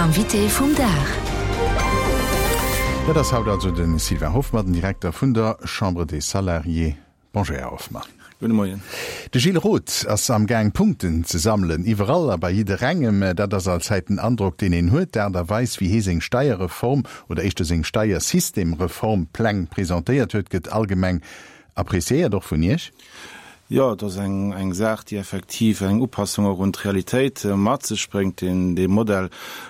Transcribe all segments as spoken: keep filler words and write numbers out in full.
L'invité vum Dag. Dat ass haut also de Sylvain Hoffmann, den Direkter vun der Chambre des Salariés. Bonjour, Här Hoffmann. Gudde Moien. De Gilles Roth ass am Gaang Punkten ze sammelen, iwwerall a bei jidderengem. Dat ass allzäit den Androck, deen een huet. D'Aart a Weis, wéi hie seng Steierreform oder éischter seng Steiersystemreform-Pläng presentéiert huet, gëtt allgemeng appreciéiert, och vun Iech. Jo, et ass eng eng Saach, déi effektiv eng Upassung och un d'Realitéit mat sech bréngt, deen dee Modell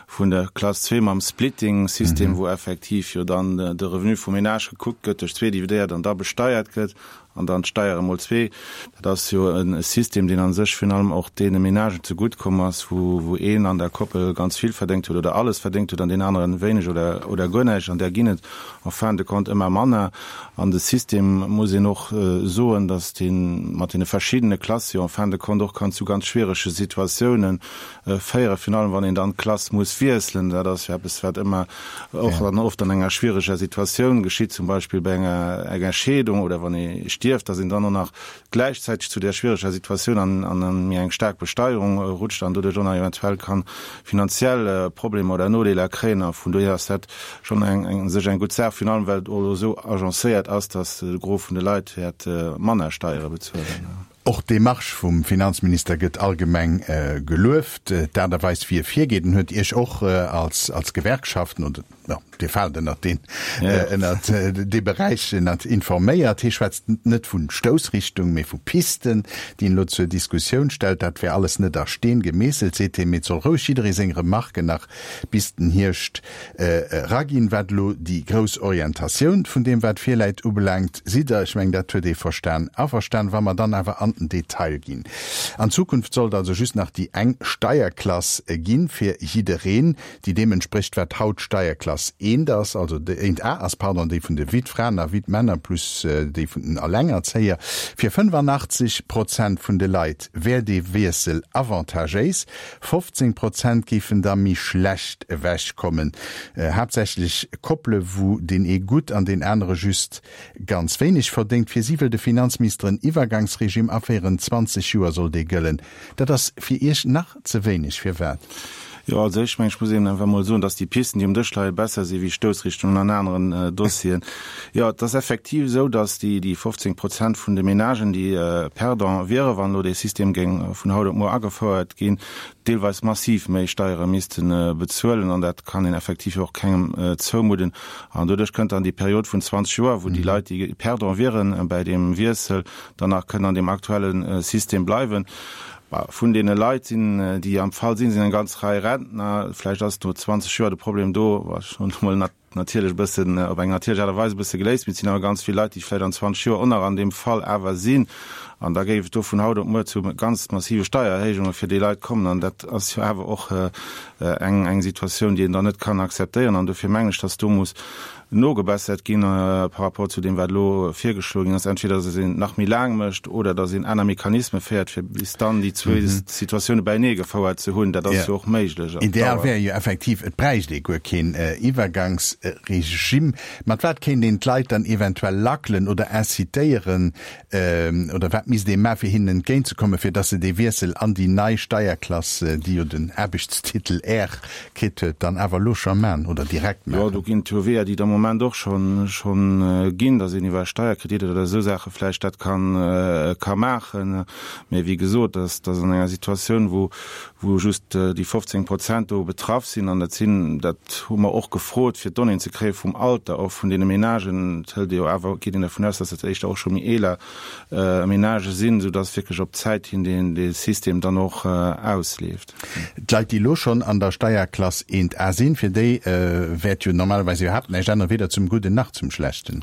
vun der Klass zwee mam Splitting-System, wou effektiv jo dann de Revenu vum Ménage gekuckt gëtt, duerch zwee dividéiert an da besteiert gëtt an dann d'Steiere mol zwee. Dat ass jo e System, deen a sech virun allem och deene Ménagen zegutt komm ass, wou wou een an der Koppel ganz vill verdéngt huet oder alles verdéngt huet an deen aneren wéineg oder oder guer näischt. An där ginn et en fin de compte ëmmer manner. An de System, muss een och soen, datt dee mat deene verschiddene Klasse jo en fin de compte och kann zu ganz schwierege Situatioune féieren, virun allem wann een dann d'Klass muss wiesselen. Dat ass jo eppes, wat ëmmer och dann oft an enger schwiereger Situatioun geschitt, zum Beispill bei enger enger Scheedung oder wann ee stierft, datt een dann och nach gläichzäiteg zu där schwiereger Situatioun an an méi eng staark Besteierung rutscht an doduerch och nach eventuell kann finanziell Problemer oder Nodeeler kréien. A vun dohier ass dat schonn eng eng u sech eng gutt Saach, virun allem well et och elo esou agencéiert ass, datt de Gros vun de Leit wäert manner Steiere bezuelen. Och d'Demarche vum Finanzminister gëtt allgemeng gelueft. D'Aart a Weis, wéi e virgeet, en huet Iech och als als Gewerkschaften, oder jo, Dir faalt ënnert deen, ënnert dee Beräich, ënnert informéiert. Hie schwätzt net vu Stoussrichtung, mee vu Pisten, déi en elo zur Diskussioun stellt. Dat wär alles net a Steen gemeesselt, seet hien, mee et soll roueg jidderee seng Remarken nach bis den Hierscht eraginn. Wat elo déi grouss Orientatioun vun deem, wat virläit, ubelaangt, sidd Der, ech mengen, dat huet ee verstan, averstan. Wa mer dann awer an den Detail ginn, An Zukunft sollt also just nach déi eng Steierklass ginn, fir jiddereen, déi deem entsprécht, wat haut Steierklass eent ass, also déi eent A ass, pardon, déi vun de Wittfraen a Wittmänner plus déi vun den Allengerzéier. Fir fënnefannachtzeg Prozent vun de Leit wär dee Wiessel avantagéis, fofzéng Prozent géifen da méi schlecht ewech kommen, haaptsächlech Koppele wou deen ee gutt an deen anere just ganz wéineg verdéngt. Fir si wëll de Finanzminister en Iwwergangsregime aféieren, zwanzeg Joer soll dee gëllen. Dat ass fir Iech nach ze wéineg. Firwat? Jo, als éischt meng ech muss een einfach emol soen, dass déi Pisten, déi um Dësch leien, besser si wéi Stoussrichtungen an aneren Dossieren. Jo, et ass effektiv esou, dass déi, déi fofzéng Prozent vun de Ménagen, déi perdant wieren, wann elo dee System géing vun haut op muer agefouert ginn, deelweis massiv méi Steiere misste bezuelen. An dat kann een effektiv jo och kengem zoumudden. An doduerch kënnt dann déi Period vun zwanzeg Joer, wou déi Leit, déi perdant wieren bäi deem Wiessel, dann nach kënnen an deem aktuelle System bleiwen. Vun deene Leit sinn, déi am Fall sinn, sinn eng ganz Rei Rentner. Vläicht ass no zwanzeg Joer de Problem do, wat ech emol natierlech e bëssen, op eng natierlech Aart a Weis e bësse geléist, mee et sinn awer ganz vill Leit, déi vläicht an zwanzeg Joer och nach an deem Fall awer sinn. An da géif et do vun haut op muer zu ganz massive Steiererhéijunge fir déi Leit kommen. An dat ass jo awer och eng, eng Situatioun, déi een dann net kann akzeptéieren. An dofir mengen ech, dass do muss nogebessert ginn par rapport zu deem, wat elo virgeschloe ginn ass, entweder dass een et nach méi laang mécht oder dass een aner Mechanisme féiert, fir bis dann déi zwee Situatioune bäinee gefouert ze hunn. Dat ass jo och méiglech op Ideal Dauer. wär jo effektiv, et bräicht ee guer keen Iwwergangsregime. Mat wat kéint een d'Leit dann eventuell lackelen oder incitéieren oder wat misst ee maachen, fir hinnen entgéintzekommen, fir dass se dee Wiessel an déi nei Steierklass, déi jo den Aarbechtstitel R kritt huet, dann awer elo scho man oder direkt Jo, maachen? do ginn et jo Weeër, déi et am Moment och schonn schonn ginn, dass een iwwer Steierkreditter oder esou Saache vläicht dat kann ka maachen. Mä wéi gesot, dass dass an enger Situatioun, wou wou just déi fofzéng Prozent do betraff sinn, an dat sinn, dat hu mer och gefrot, fir d'Donnéeën ze kréie vum Alter och vun deene Ménagen, et hëlt ee jo awer, geet een dervun aus, dass dat éischter och scho méi eeler Ménagë sinn, soudass wierklech op d'Zäit hin deen dee System dann och ausleeft. D'Leit, déi elo schonn an der Steierklass eent A sinn, fir déi wäert jo normalerweis iwwerhaapt näischt änneren, weder zum Gudden nach zum Schlechten.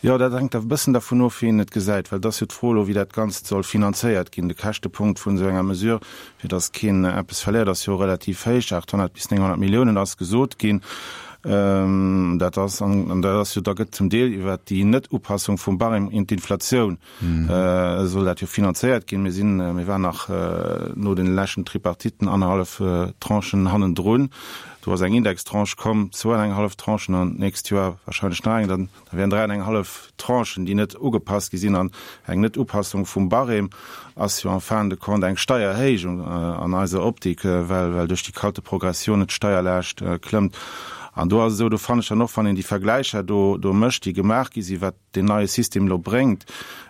Jo, dat hänkt e bëssen dervun of, wéi een et gesäit, well et ass jo d'Fro elo, wéi dat Ganzt soll finanzéiert ginn. De Käschtepunkt vun esou enger Mesure, fir datt keen eppes verléiert, ass jo relativ héich, achthonnert bis nénghonnert Milliounen ass gesot ginn. Dat ass, an dat ass jo, da gëtt zum Deel iwwert déi Net-Upassung vum Barème un d'Inflatioun soll dat jo finanzéiert ginn. Mir sinn, mir waren nach no den leschten Tripartiten annerhallef Tranchen hannendrun. Do ass eng Indextranche komm, zwou an eng hallef Tranchen an d'nächst Joer wahrscheinlech nach eng, dann da wären dräi an eng hallef Tranchen, déi net ugepasst gi sinn. An eng Net-Upassung vum Barème ass jo en fin de compte eng Steiererhéijung an eiser Optik, well well duerch déi kalte Progressioun d'Steierlaascht klëmmt. An do ass et esou, do fannen ech dann och, wann een déi Vergläicher do do mécht, déi gemaach gi sinn, wat deen neie System elo bréngt,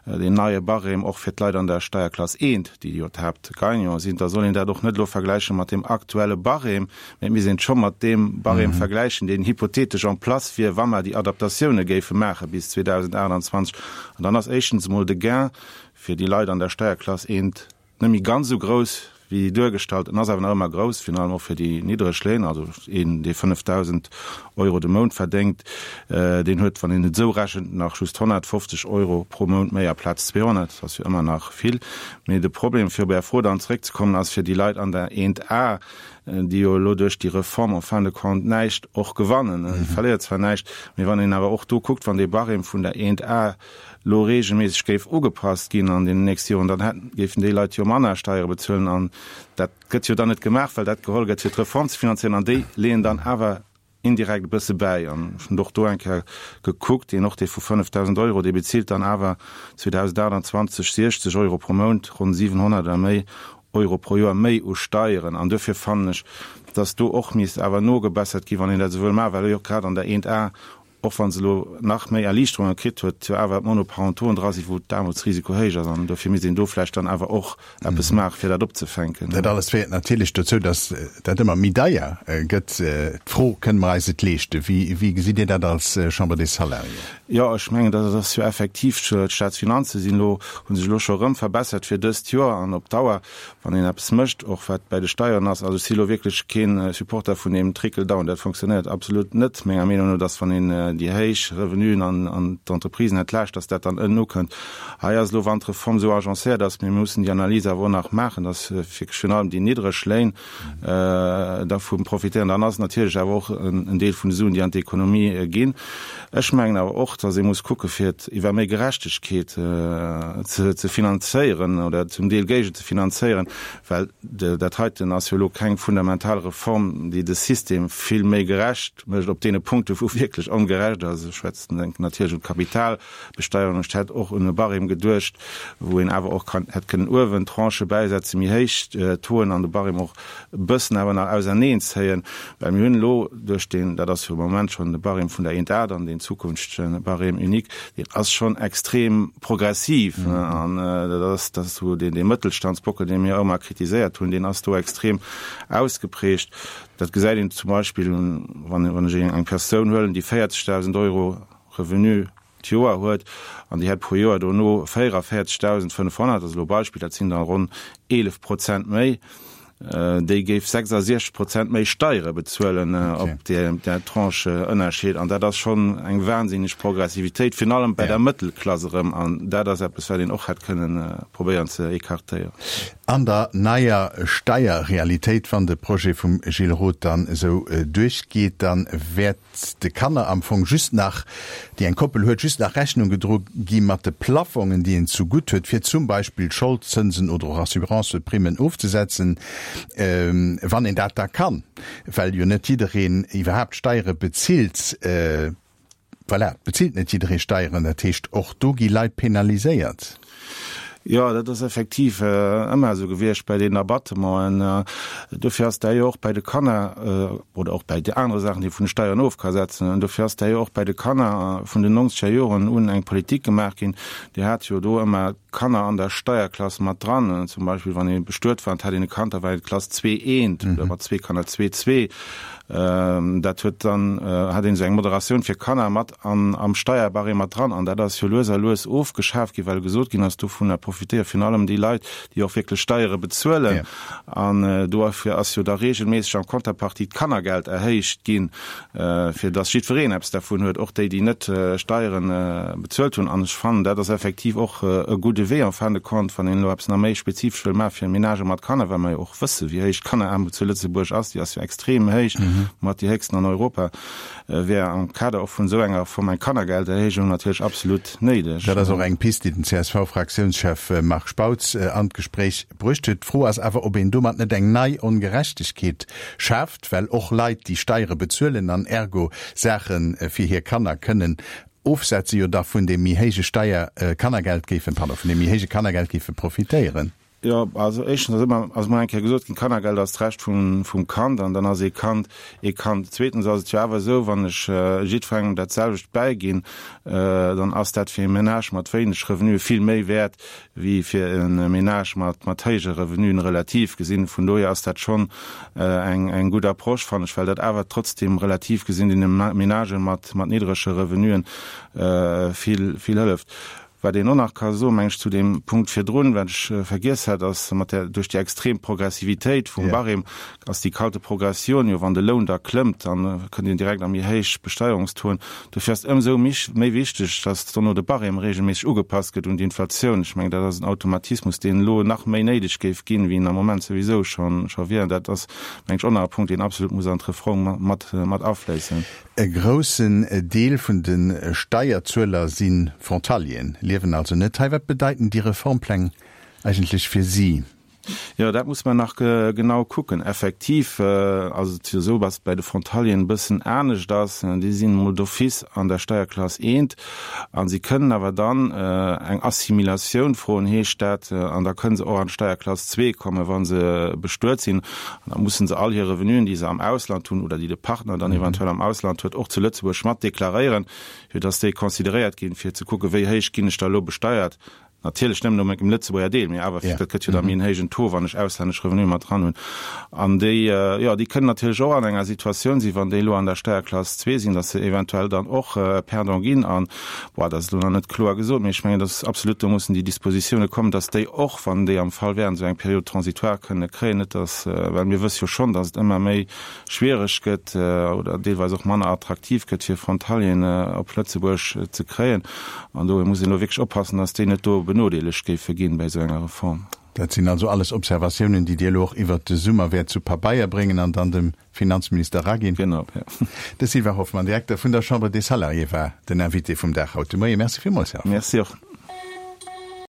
deen neie Barème och fir d'Leit an der Steierklass eent, déi jo d'Haaptgagnanten sinn, da soll een dat och net elo vergläiche mat deem aktuelle Barème, mä et misst een et scho mat deem Barème vergläichen, deen hypothetesch en place wier, wa mer déi Adaptatioune géife maache bis zweedausendachtundzwanzeg. An dann ass éischtens emol de Gain fir déi Leit an der Steierklass eent net méi ganz esou grouss wéi duergestallt. En ass awer nach ëmmer grouss, virun allem och fir déi niddreg Léin. Also een, dee fënnefdausend Euro de Mount verdéngt, deen huet, wann een et esou rechent, nach just honnertfofzeg Euro pro Mount méi aplaz zweehonnert. Dat ass jo ëmmer nach vill. Mee de Problem, fir op Är Fro dann zeréckzekommen, ass fir déi Leit an der eent A, déi jo elo duerch déi Reform en fin de compte näischt och gewannen. Si verléiert zwar näischt, mee wann een awer och do kuckt, wann dee Barème vun der eent A lo regelméisseg géif ugepasst ginn an deenen nächste Joren, dann hätten, géifen déi Leit jo manner Steiere bezuelen. An dat gëtt jo dann net gemaach, well dat geholl gëtt, fir d'Reform ze finanzéieren. An déi leeën dann awer indirekt e bësse bäi. An ech hunn och do eng Kéier gekuckt, deen och dee vu fënnefdausend Euro, dee bezilt dann awer zweedausendachtundzwanzeg siechzeg Euro pro Mount, ronn siwenhonnert oder méi Euro pro Joer méi u Steieren. An duerfir fannen ech, dass do och misst awer nogebessert ginn, wann een dat esou wëll maachen, well jo grad an der eent A, och wa se elo nach méi Erliichterunge kritt huet, jo awer d'Monoparentoen dra sinn, wou d'Aarmutsrisiko héich ass. An dofir misst een do vläicht dann awer och eppes maachen, fir dat opzefänken. Dat alles féiert natierlech dozou, dass dat ëmmer méi deier gëtt. D'Fro, Kënne mer eis et leeschten? Wéi, wéi gesitt Dir dat als Chambre des Salariés? Jo, ech mengen, dat ass jo effektiv, d'Staatsfinanze sinn elo, hu sech elo scho erëm verbessert fir dëst Joer an op Dauer, wann een eppes mécht, och wat bäi de Steieren ass. Also ech si elo wierklech kee Supporter vun deem Trickle-down, dat fonctionnéiert absolut net menger Meenung no, dass wann een déi héich Revenuen an d'Entreprisen entlaascht, dass dat dann ënnen ukënnt. Hei ass elo, wann d'Reform esou agencéiert ass, mir mussen déi Analys awer och nach maachen, dass wierklech virun allem déi niddreg Léin dervu profitéieren. Dann ass et natierlech awer och en Deel vun de Suen, déi an d'Ekonomie ginn. Ech mengen awer och, dass ee muss kucke fir et iwwer méi Gerechtegkeet ze finanzéieren oder zum Deel géigen ze finanzéieren, well dat heiten ass jo elo keng fundamental Reform, déi de System vill méi gerecht mécht op deene Punkte wou wierklech ongerecht ass. Ech schwätzen, denken natierlech un d'Kapitalbesteierung. Ech hätt och un e Barème geduecht, wou een awer och kann, hätt kënnen uewen Tranchë bäisetzen, méi héich Tauxen an de Barème och e bëssen awer nach auserneenzéien, well mir hunn elo duerch deen, dat ass jo am Moment schonn de Barème vun der eent A, dann deen zukünftege Barème unique, deen ass schonn extrem progressiv. An dat ass, dat ass esou deen, dee Mëttelstandsbockel, dee mir ëmmer kritiséiert hunn, deen ass do extrem ausgeprägt. Dat gesäit een zum Beispill, wann, wann ech eng Persoun huelen, déi véierzegdausend Euro Revenu d'Joer huet an déi hätt pro Joer dono véierunvéierzegdausendfënnefhonnert, dat ass elo e Beispill, dat sinn da ronn eelef Prozent méi, déi géif sechsasechzeg Prozent méi Steiere bezuelen op där Tranche Ënnerscheed. An dat ass schonn eng wahnsinneg Progressivitéit, virun allem bei der Mëttelklass erëm. An dat ass eppes, wat een och hätt kënnen probéieren ze écartéieren. An der neier Steierrealitéit, wann de Projet vum Gilles Roth dann esou duerchgeet, da wäert de Kanner am Fong just nach, déi eng Koppel huet, just nach Rechnung gedro gi mat de Plaffongen, déi een zu gutt huet, fir zum Beispill Scholdzënsen oder och Assurancëprimmen ofzesetzen, wann een dat da kann, well jo net jiddereen iwwerhaapt Steiere bezilt. Voilà, et bezilt net jidderee Steieren, dat heescht, och do gi Leit penaliséiert. Jo, dat ass effektiv ëmmer esou gewiescht bei deenen Abattementen. Dofir ass dat jo och bei de Kanner oder och bei de anere Saachen, déi ee vun de Steieren of ka setzen, dofir ass dat jo och bei de Kanner vun den nonzeger Joren un eng Politik gemaach ginn, déi hat jo do ëmmer d'Kanner an der Steierklass mat dran. Zum Beispill wann ee bestuet war an et hat een e Kand, da war een d'Klass zwee eent oder mat zwee Kanner zwee zwee. Dat huet dann, hat een esou eng Moderatioun fir Kanner mat an am Steierbarème mat dran. An dat ass jo lues a lues ofgeschaf ginn, well gesot ginn ass, dovunner profitéiere virun allem déi Leit, déi och wierklech Steiere bezuelen. An dofir ass jo da regelméisseg en Contrepartie d'Kannergeld erhéicht ginn, fir datt jiddwereen eppes dervun huet, och déi, déi net Steiere bezuelt hunn. An ech fannen, dat ass effektiv och e gudde gudde Wee en fin de compte, wann een elo eppes nach méi spezifesch wëll maache fir Menagë mat Kanner, well mer jo och wësse wéi héich d'Kanneraarmut zu Lëtzebuerg ass, déi ass jo extrem héich, mat déi héchsten an Europa, wär am Kader och vun esou enger Reform eng Kannergelderhéijung natierlech absolut néideg. Dat ass och eng Pist, déi den C S V-Fraktiounschef Marc Spautz an d'Gespréich bruecht huet. D'Fro ass awer, ob een domat net eng nei Ongerechtegkeet schaaft, well och Leit, déi Steiere bezuelen an ergo Saache fir hir Kanner kënnen ofsetze, jo da vun deem méi héije Steier Kannergeld géifen, pardon, vun deem méi héije Kannergeld géife profitéieren. Jo, also éischtens ass ëmmer, ass mol eng Kéier gesot ginn, Kannergeld ass d'Recht vum, vum Kand an dann ass ee Kand ee Kand. Zweetens ass et jo awer esou, wann ech jiddwerengem dat selwecht bäiginn, dann ass dat fir ee Menage mat wéineg Revenue vill méi wäert wéi fir e Menage mat, mat héije Revenuen relativ gesinn. Vun dohier ass dat schonn eng, eng gutt Approche, fannen ech, well dat awer trotzdem relativ gesinn deene Menagen mat, mat niddrege Revenuen vill, vill hëlleft. Wat een och nach ka soen, meng ech, zu deem Punkt virdrun, wat ech vergiess hat, ass mat der, duerch déi extrem Progressivitéit vum Barème ass déi kalte Progression jo, wann de Loun da klëmmt, dann kënnt een direkt a méi héich Besteierungstoen. Dofir ass et ëmsou méi wichteg, dass dono de Barème regelméisseg ugepasst gëtt un d'Inflatioun. Ech mengen, dat ass en Automatismus, deen elo nach méi néideg géif ginn, wéi en am Moment souwisou scho scho wier. Dat ass, meng ech, och nach e Punkt, deen absolut muss an d'Reform mat mat afléissen. E groussen Deel vun de Steierzueler si Frontalieren, liewen also net hei. Wat bedeiten déi Reformpläng eigentlech fir si? Jo, dat muss mer nach genau kucken. Effektiv ass et jo esou, dass et bei de Frontalieren e bëssen anescht ass. Déi sinn emol d'office an der Steierklass eent a si kënnen awer dann eng Assimilatioun froen, heescht dat, an da kënnen se och an d'Steierklass zwee kommen, wa se bestuet sinn. An da mussen se all hir Revenuen, déi se am Ausland hunn oder déi de Partner dann eventuell am Ausland huet, och zu Lëtzebuerg mat deklaréieren, fir dass déi consideréiert ginn, fir ze kucken, wéi héich ginn ech da elo besteiert. Natierlech nëmmen no mengem Lëtzebuerger Deel, mee awer dat gëtt jo da méi en héijen Taux, wann ech auslännesch Revenue mat dran hunn. An déi, jo, déi kënnen natierlech och an enger Situatioun sinn, wann déi elo an der Steierklass zwee sinn, datt se eventuell dann och Perdant ginn. An, bon, dat ass elo nach net kloer gesot, mee ech mengen, datt absolut do mussen déi Dispositioune kommen, datt déi och, wann déi am Fall wären, esou eng Période transitoire kënne kréien, net datt, well mir wësse jo schonn, datt et ëmmer méi schwiereg gëtt oder deelweis och manner attraktiv gëtt, fir Frontalieren op Lëtzebuerg ze kréien. An do muss een elo wierklech oppassen, datt déi net do benodeelegt géife ginn bei esou enger Reform. Dat sinn also alles Observatiounen, déi Dir elo och iwwert de Summer wäert zu Pabeier bréngen an dann dem Finanzminister eraginn. Genau, jo. De Sylvain Hoffmann, Direkter vun der Chambre des Salariés, war den Invité vum Dag haut de Moien. Merci villmools, Här Hoffmann. Merci och.